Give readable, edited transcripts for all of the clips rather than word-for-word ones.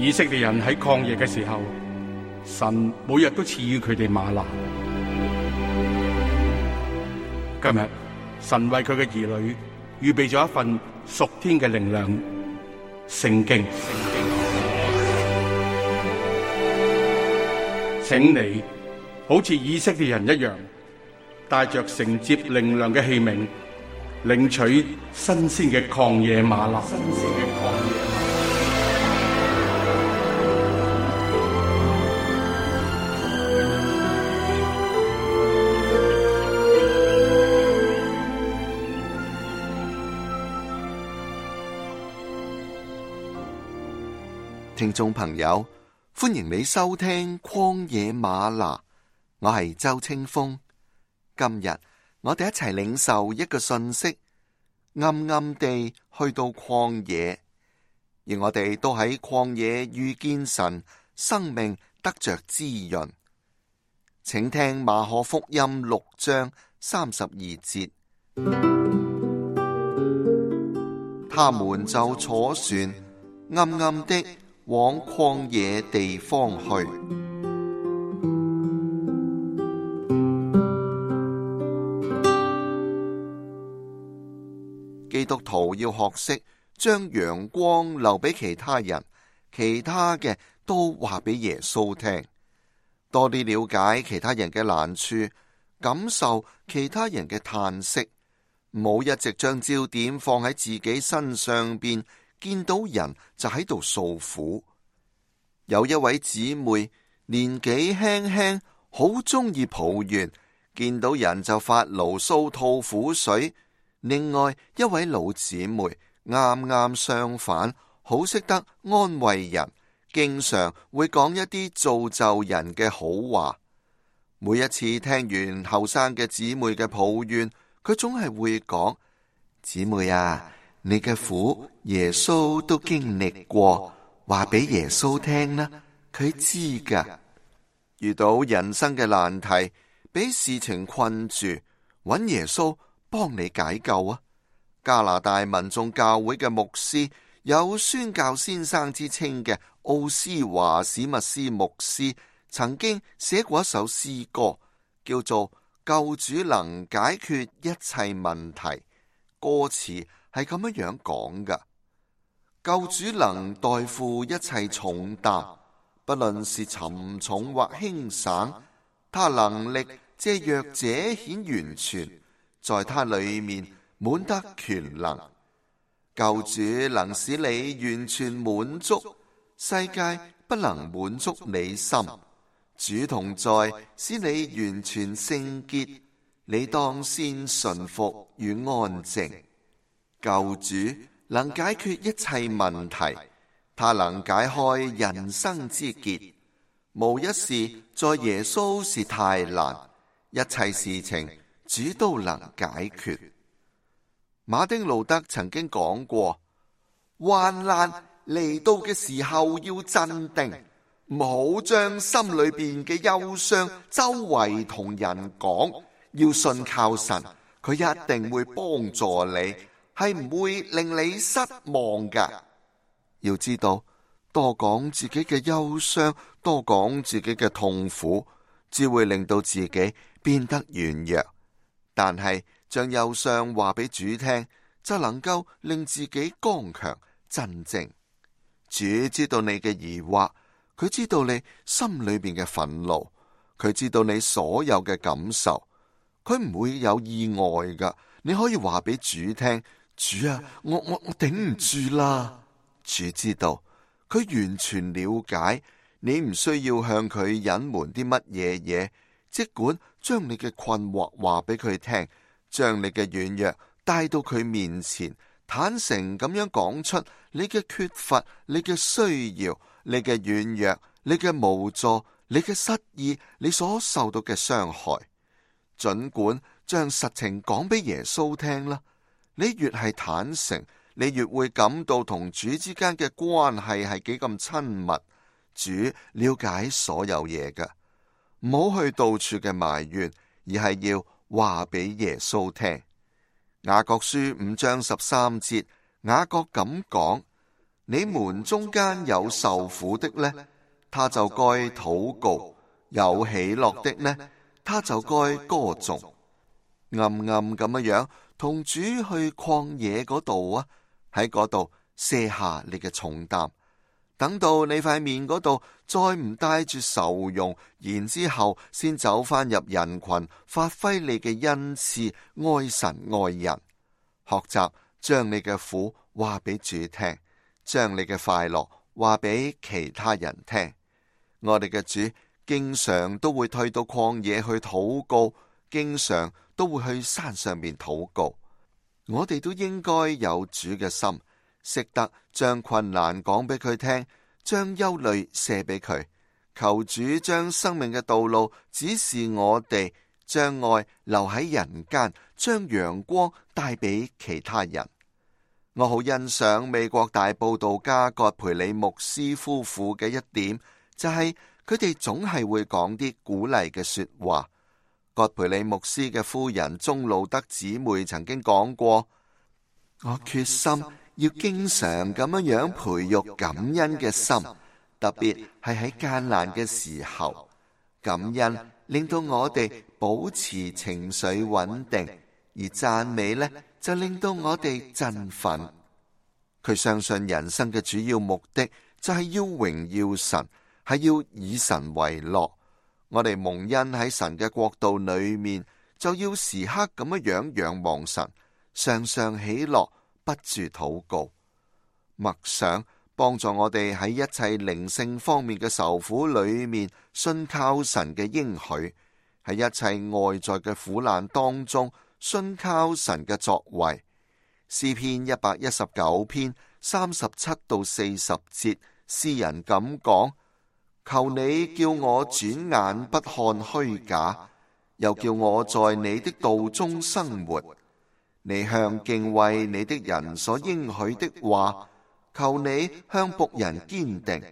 以色列人喺曠野嘅時候，神每日都賜予佢哋嗎哪。今日神為佢嘅兒女預備咗一份屬天嘅靈糧——聖經。請你好似以色列人一樣，帶着承接靈糧嘅器皿，領取新鮮嘅曠野嗎哪。聽眾朋友，歡迎你收聽曠野嗎哪，我係周清風。今日我哋一齊領受一個信息，暗暗地去到曠野，而我哋都喺曠野遇見神，生命得着滋潤。請聽馬可福音6章32節，他們就坐船，暗暗的往曠野地方去。基督徒要學識將陽光留俾其他人，其他嘅都話俾耶穌聽，多啲了解其他人嘅難處，感受其他人嘅嘆息，唔好一直將焦點放喺自己身上邊，見到人就喺度訴苦。有一位姊妹年紀輕輕，好中意抱怨，見到人就發牢騷吐苦水。另外一位老姊妹啱啱相反，好識得安慰人，經常會講一啲造就人嘅好話。每一次聽完後生嘅姊妹嘅抱怨，佢總係會講：姊妹啊，你嘅苦耶穌都經歷過，話俾耶穌聽啦，佢知噶。遇到人生嘅難題，俾事情困住，揾耶穌幫你解救啊！加拿大民眾教會嘅牧師，有宣教先生之稱嘅奧斯華史密斯牧師，曾經寫過一首詩歌，叫做《救主能解決一切問題》。歌詞係咁樣講噶：救主能代負一切重擔，不論是沉重或輕省，他能力借弱者顯完全，在他裏面滿得權能。救主能使你完全滿足，世界不能滿足你心。主同在，使你完全聖潔，你當先順服與安靜。救主能解決一切問題，他能解開人生之結，無一事在耶穌是太難，一切事情主都能解決。馬丁路德曾經講過，患難嚟到嘅時候要鎮定，唔好將心裏邊嘅憂傷周圍同人講，要信靠神，佢一定會幫助你，係唔會令你失望噶。要知道，多講自己嘅憂傷，多講自己嘅痛苦，只會令到自己變得軟弱。但係將憂傷話俾主聽，就能夠令自己剛強鎮靜。主知道你嘅疑惑，佢知道你心裏邊嘅憤怒，佢知道你所有嘅感受，佢唔會有意外噶。你可以話俾主聽：主啊，我頂唔住啦。主知道，佢完全了解，你唔需要向佢隱瞞啲乜嘢，即管將你嘅困惑話俾佢聽，將你嘅軟弱帶到佢面前，坦誠咁樣講出你嘅缺乏、你嘅需要、你嘅軟弱、你嘅無助、你嘅失意、你所受到嘅傷害。盡管將實情講俾耶穌聽啦，你越係坦誠，你越會感到同主之間嘅關係係幾咁親密。主了解所有嘢㗎，唔好去到處嘅埋怨，而係要話俾耶穌聽。雅各書5章13節，雅各咁講：你們中間有受苦的呢，他就該禱告；有喜樂的呢，他就該歌頌。暗暗咁樣同主去曠野嗰度啊，喺嗰度卸下你嘅重擔，等到你塊面嗰度再唔帶住愁容，然之後先走返入人群，發揮你嘅恩賜，愛神愛人，學習將你嘅苦話俾主聽，將你嘅快樂話俾其他人聽。我哋嘅主經常都會退到曠野去禱告，經常都會去山上面禱告。我哋都應該有主嘅心，識得將困難講俾佢聽，將憂慮卸俾佢，求主將生命嘅道路指示我哋，將愛留喺人間，將陽光帶俾其他人。我好欣賞美國大佈道家葛培理牧師夫婦嘅一點，就係佢哋總係會講啲鼓勵嘅說話。葛培理牧師嘅夫人鍾路德姊妹曾經講過：我決心要經常咁樣培育感恩嘅心，特別係喺艱難嘅時候，感恩令到我哋保持情緒穩定，而讚美呢，就令到我哋振奮。佢相信人生嘅主要目的就係要榮耀神，係要以神為樂。我哋蒙恩喺神嘅國度裏面，就要時刻咁樣仰望神，常常喜樂，不住禱告。默想幫助我哋喺一切靈性方面嘅愁苦裏面，信靠神嘅應許；喺一切外在嘅苦難當中，信靠神嘅作為。詩篇119篇37到40節，詩人咁講：求你叫我轉眼不看虛假，又叫我在你的道中生活。你向敬畏你的人所應許的話，求你向僕人堅定。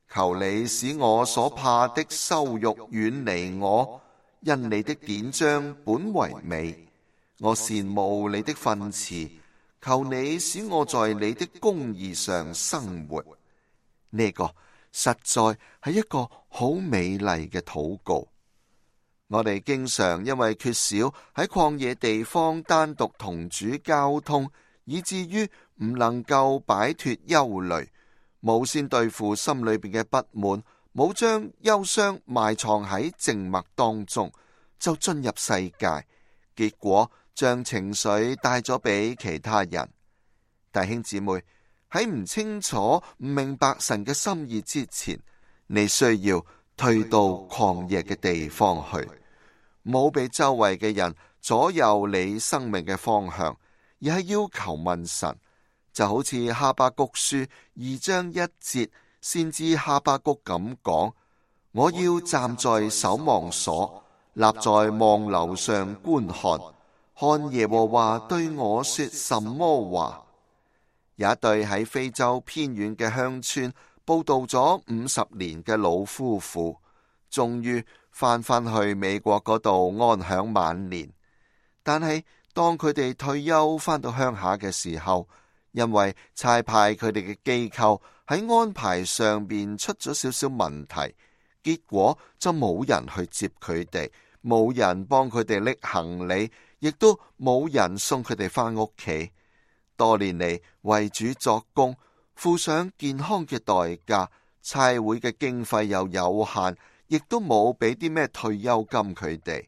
求你使我所怕的羞辱遠離我，因你的典章本為美。我羨慕你的訓詞，求你使我在你的公義上生活。呢個實在係一個好美麗嘅禱告。我哋經常因為缺少喺曠野地方單獨同主交通，以至於唔能夠擺脫憂慮，冇先對付心裏邊嘅不滿，冇將憂傷埋藏喺靜默當中，就進入世界，結果將情緒帶咗俾其他人。弟兄姊妹，喺唔清楚、唔明白神嘅心意之前，你需要退到曠野嘅地方去，冇俾周圍嘅人左右你生命嘅方向，而係要求問神。就好似哈巴谷書2章1節，先知哈巴谷咁講：我要站在守望所，立在望樓上觀看，看耶和華對我說什麼話。有一對喺非洲偏遠嘅鄉村佈道咗50年嘅老夫婦，終於翻去美國嗰度安享晚年。但係當佢哋退休翻到鄉下嘅時候，因為差派佢哋嘅機構喺安排上邊出咗少少問題，結果就冇人去接佢哋，冇人幫佢哋拎行李，亦都冇人送佢哋翻屋企。多年嚟為主作工，付上健康嘅代價，差會嘅經費又有限，亦都冇俾啲咩退休金佢哋。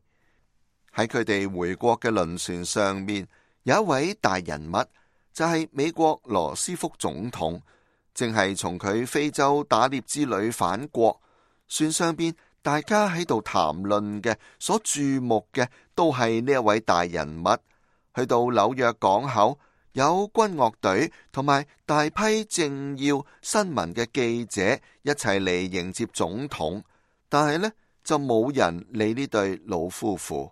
喺佢哋回國嘅輪船上面，有一位大人物，就係美國羅斯福總統，正係從佢非洲打獵之旅返國。船上邊大家喺度談論嘅，所注目嘅都係呢一位大人物。去到紐約港口，有軍樂隊同埋大批政要新聞嘅記者一齊嚟迎接總統，但係呢，就冇人理呢對老夫婦。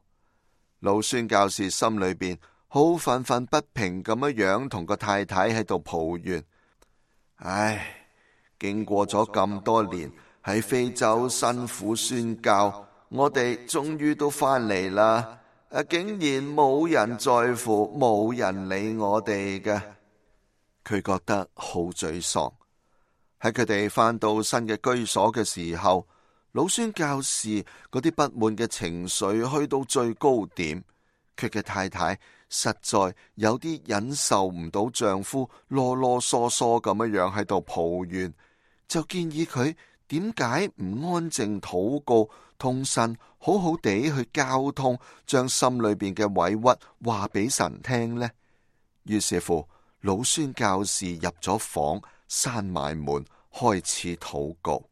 老宣教士心裏邊好憤憤不平咁樣同個太太喺度抱怨：唉，經過咗咁多年喺非洲辛苦宣教，我哋終於都翻嚟啦。竟然冇人在乎，冇人理我哋嘅，佢覺得好沮喪。喺佢哋返到新嘅居所嘅時候，老宣教士嗰啲不滿嘅情緒去到最高點，佢嘅太太實在有啲忍受唔到丈夫囉囉嗦嗦咁樣喺度抱怨，就建議佢點解唔安靜禱告，同神好好地去交通，將心裏邊嘅委屈話俾神聽呢？於是乎，老宣教士入咗房，閂埋門，開始禱告。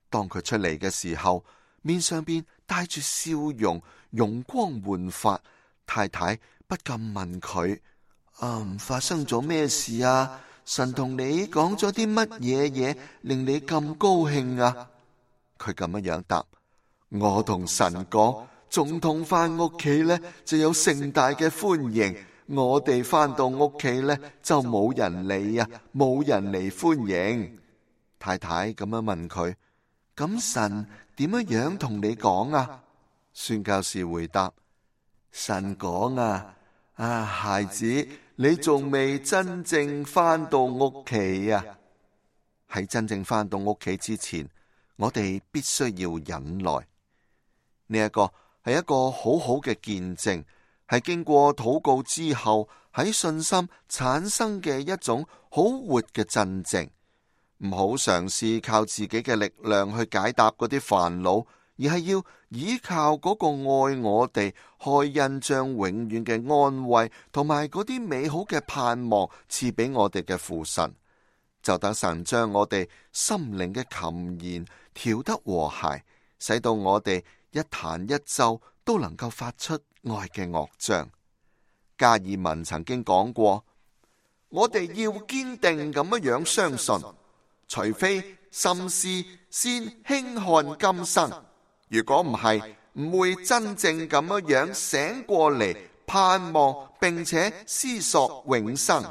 當佢出嚟嘅時候，面上邊帶住笑容，容光煥發。太太不禁問佢：發生咗咩事啊？神同你講咗啲乜嘢令你咁高興啊？佢咁樣答：我同神講，總統返屋企呢就有盛大嘅歡迎，我哋返到屋企呢就冇人理啊，冇人嚟歡迎。太太咁樣問佢：咁神點樣同你講啊？宣教士回答：神講啊，孩子，你仲未真正返到屋企啊！喺真正返到屋企之前，我哋必須要忍耐。呢一個係一個好好嘅見證，係經過禱告之後喺信心產生嘅一種好活嘅真正。唔好嘗試靠自己嘅力量去解答嗰啲煩惱，而係要依靠嗰個愛我哋、開恩將永遠嘅安慰同埋嗰啲美好嘅盼望賜俾我哋嘅父神，就等神將我哋心靈嘅琴弦調得和諧，使到我哋一彈一奏都能夠發出愛嘅樂章。加爾文曾經講過：我哋要堅定咁樣相信，除非心思先輕看今生，如果唔係，唔會真正咁樣醒過嚟，盼望並且思索永生。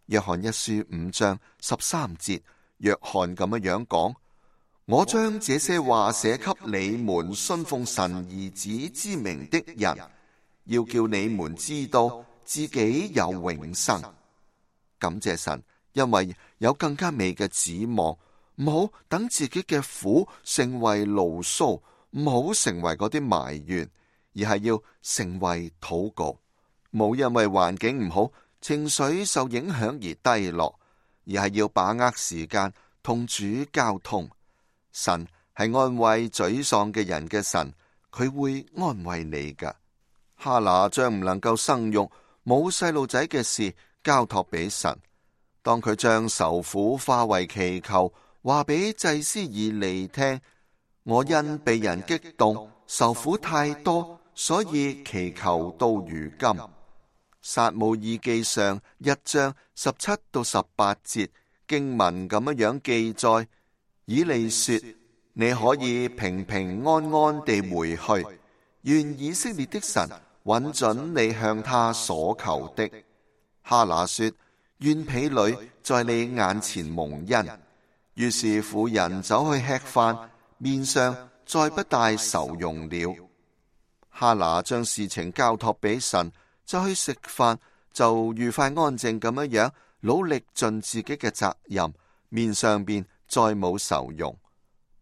約翰一書5章13節，約翰咁樣講：我將這些話寫給你們信奉神兒子之名的人，要叫你們知道自己有永生。感謝神，因為有更加美嘅指望，唔好等自己嘅苦成為牢騷，唔好成為嗰啲埋怨，而係要成為禱告。冇因為環境唔好，情緒受影響而低落，而係要把握時間同主交通。神係安慰沮喪嘅人嘅神，佢會安慰你噶。哈拿將唔能夠生育、冇細路仔嘅事交託俾神。當佢將愁苦化為祈求，話俾祭司以利聽：我因被人激動，愁苦太多，所以祈求到如今。撒母耳記上1章17到18節經文咁樣記載：以利說，你可以平平安安地回去，願以色列的神允准你向他所求的。哈拿說，願婢女在你眼前蒙恩。於是婦人走去吃飯，面上再不帶愁容了。哈拿將事情交託俾神，就去食飯，就愉快安靜咁樣努力盡自己嘅責任，面上邊再冇愁容。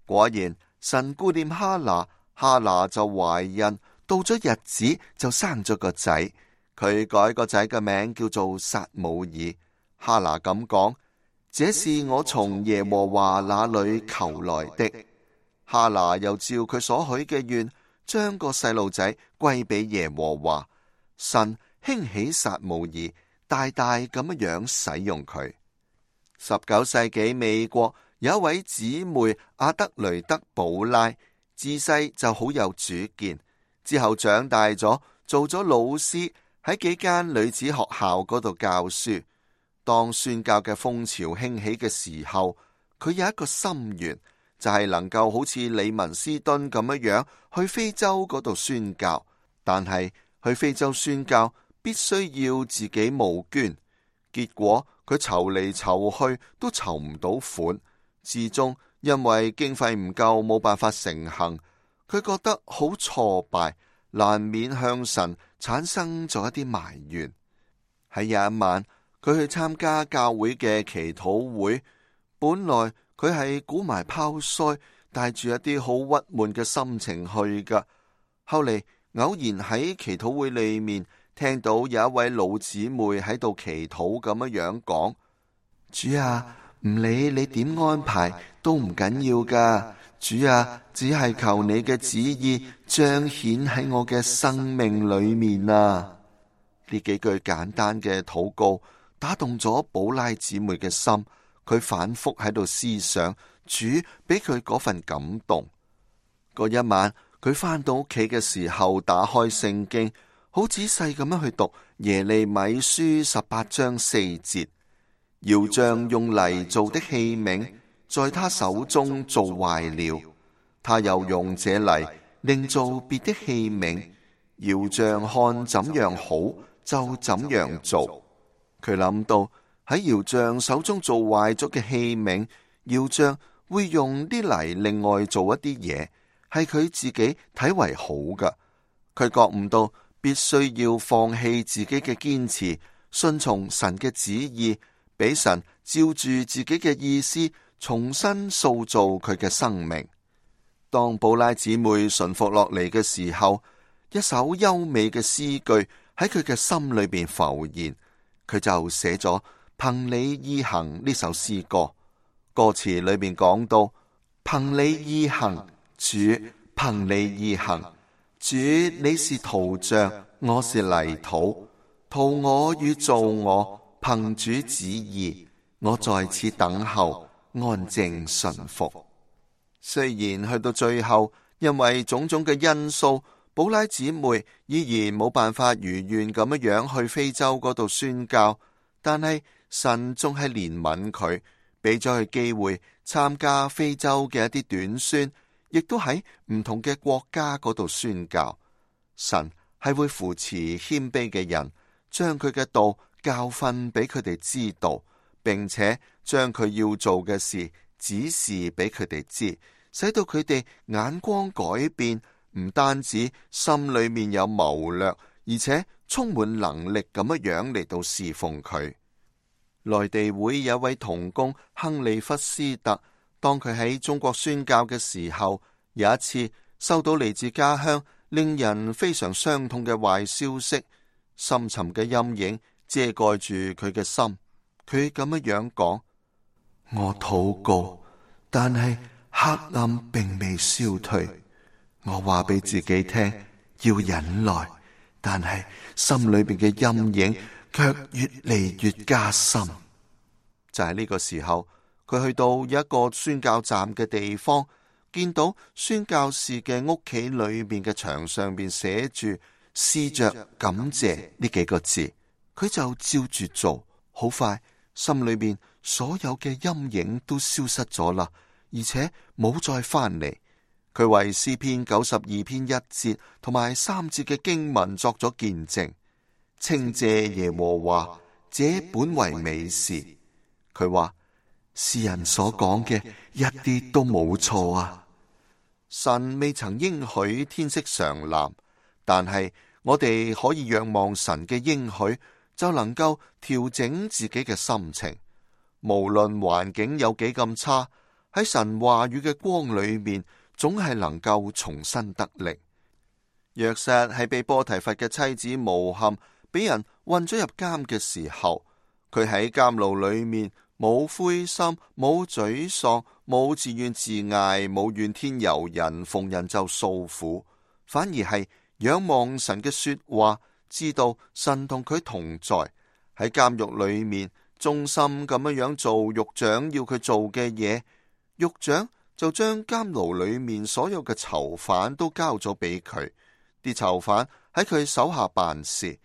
果然神顧念哈拿，哈拿就懷孕，到咗日子就生咗個仔，佢改個仔嘅名叫做撒母耳。哈拿咁講：這是我從耶和華那裏求來的。哈拿又照佢所許嘅願，將個細路仔歸俾耶和華。神興起撒母耳，大大咁樣使用佢。19世紀美國有一位姊妹阿德雷德寶拉，自細就好有主見，之後長大咗做咗老師，喺幾間女子學校嗰度教書。當宣教嘅風潮興起嘅時候，佢有一個心願，就係能夠好似李文斯敦咁樣去非洲嗰度宣教。但係去非洲宣教必須要自己募捐，結果佢籌嚟籌去都籌唔到款，至終因為經費唔夠，冇辦法成行。佢覺得好挫敗，難免向神產生咗一啲埋怨。喺有一晚，佢去參加教會嘅祈禱會，本來佢係鼓埋泡腮，帶住一啲好鬱悶嘅心情去噶。後嚟偶然喺祈禱會裏面聽到有一位老姊妹喺度祈禱咁樣講：主啊，唔理你點安排都唔緊要噶。主啊，只係求你嘅旨意彰顯喺我嘅生命裏面啊！呢幾句簡單嘅禱告打動咗寶拉姊妹嘅心，佢反覆喺度思想主俾佢嗰份感動。嗰一晚佢返到屋企嘅時候，打開聖經，好仔細咁樣去讀耶利米書18章4節，窯匠用泥做的器皿，在他手中做壞了，他又用這泥另做別的器皿，窯匠看怎樣好就怎樣做。佢諗到喺窯匠手中做壞咗嘅器皿，窯匠會用啲泥另外做一啲嘢，係佢自己睇為好噶。佢覺悟到必須要放棄自己嘅堅持，順從神嘅旨意，俾神照住自己嘅意思重新塑造佢嘅生命。當寶拉姊妹順服落嚟嘅時候，一首優美嘅詩句喺佢嘅心裏邊浮現，佢就寫咗憑你意行呢首詩歌。歌詞裏面講到：憑你意行，主，憑你意行，主，你是陶匠，我是泥土，陶我與造我，憑主旨意，我在此等候，安靜順服。雖然去到最後，因為種種嘅因素，寶拉姊妹依然冇辦法如願咁樣去非洲嗰度宣教，但係神仲係憐憫佢，俾咗佢機會參加非洲嘅一啲短宣，亦都喺唔同嘅國家嗰度宣教。神係會扶持謙卑嘅人，將佢嘅道教訓俾佢哋知道，並且將佢要做嘅事指示俾佢哋知，使到佢哋眼光改變，唔單止心裏面有謀略，而且充滿能力咁樣嚟到侍奉佢。內地會有位同工亨利弗斯特，當佢喺中國宣教嘅時候，有一次收到嚟自家鄉令人非常傷痛嘅壞消息，深沉嘅陰影遮蓋住佢嘅心。佢咁樣講：我禱告，但係黑暗並未消退。我話俾自己聽要忍耐，但係心裏邊嘅陰影卻越嚟越加深。就喺呢個時候，佢去到一個宣教站嘅地方，見到宣教士嘅屋企裏面嘅牆上邊寫住試着感謝呢幾個字，佢就照住做。好快，心裏面所有嘅陰影都消失咗啦，而且冇再翻嚟。佢為詩篇92篇1節同埋3節嘅經文作咗見證，稱謝耶和華，這本為美事。佢話詩人所講嘅一啲都冇錯啊！神未曾應許天色常藍，但係我哋可以仰望神嘅應許，就能夠調整自己嘅心情。無論環境有幾咁差，喺神話語嘅光裏面，總係能夠重新得力。約瑟係被波提乏嘅妻子誣陷，俾人困咗入監嘅時候，佢喺監牢裏面冇灰心，冇沮喪，冇自怨自艾，冇怨天尤人，逢人就訴苦，反而係仰望神嘅說話，知道神同佢同在，喺監獄裏面忠心咁樣做獄長要佢做嘅嘢。獄長就將監牢裏面所有嘅囚犯都交咗俾佢，啲囚犯喺佢手下辦事。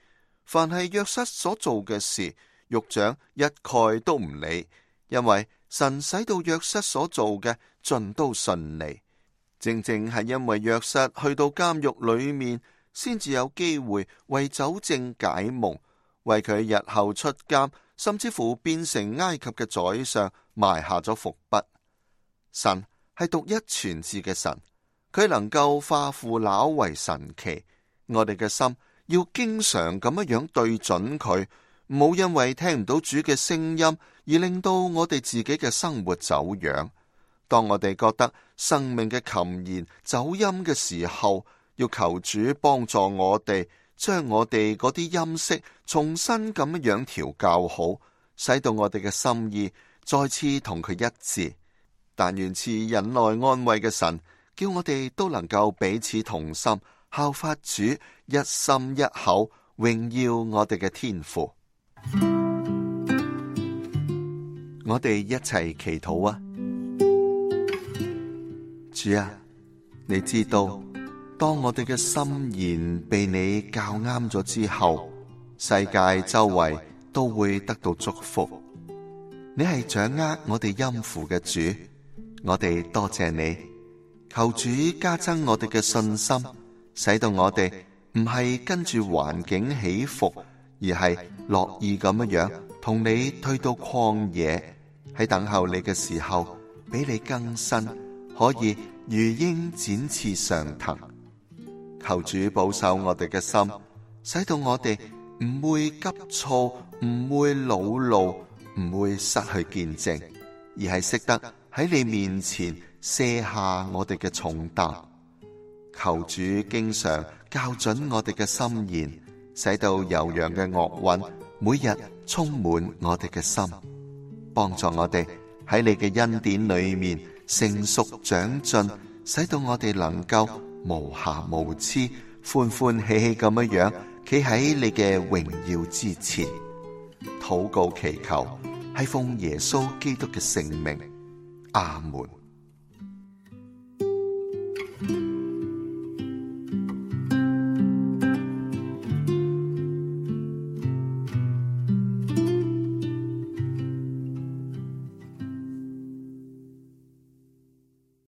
凡係約瑟所做嘅事，獄長一概都唔理，因為神使到約瑟所做嘅盡都順利。正正係因為約瑟去到監獄裏面，先至有機會為酒政解夢，為佢日後出監，甚至乎變成埃及嘅宰相埋下咗伏筆。神係獨一全智嘅神，佢能夠化腐朽為神奇。我哋嘅心要經常咁樣對準佢，唔好因為聽唔到主嘅聲音而令到我哋自己嘅生活走樣。當我哋覺得生命嘅琴弦走音嘅時候，要求主幫助我哋，將我哋嗰啲音色重新咁樣調校好，使到我哋嘅心意再次同佢一致。但願賜忍耐安慰嘅神，叫我哋都能夠彼此同心，效法主，一心一口榮耀我哋嘅天父。我哋一齊祈禱啊！主啊，你知道，當我哋嘅心言被你校啱咗之後，世界周圍都會得到祝福。你係掌握我哋音符嘅主，我哋多謝你。求主加增我哋嘅信心，使到我哋唔係跟住環境起伏，而係樂意咁樣同你退到曠野，喺等候你嘅時候俾你更新，可以如鷹展翅上騰。求主保守我哋嘅心，使到我哋唔會急躁，唔會惱怒，唔會失去見證，而係識得喺你面前卸下我哋嘅重擔。求主經常校準我哋嘅心弦，使到悠揚嘅樂韻每日充滿我哋嘅心，幫助我哋喺你嘅恩典裏面成熟長進，使到我哋能夠無瑕無疵，歡歡喜喜咁樣企喺你嘅榮耀之前。禱告祈求係奉耶穌基督嘅聖名，阿門。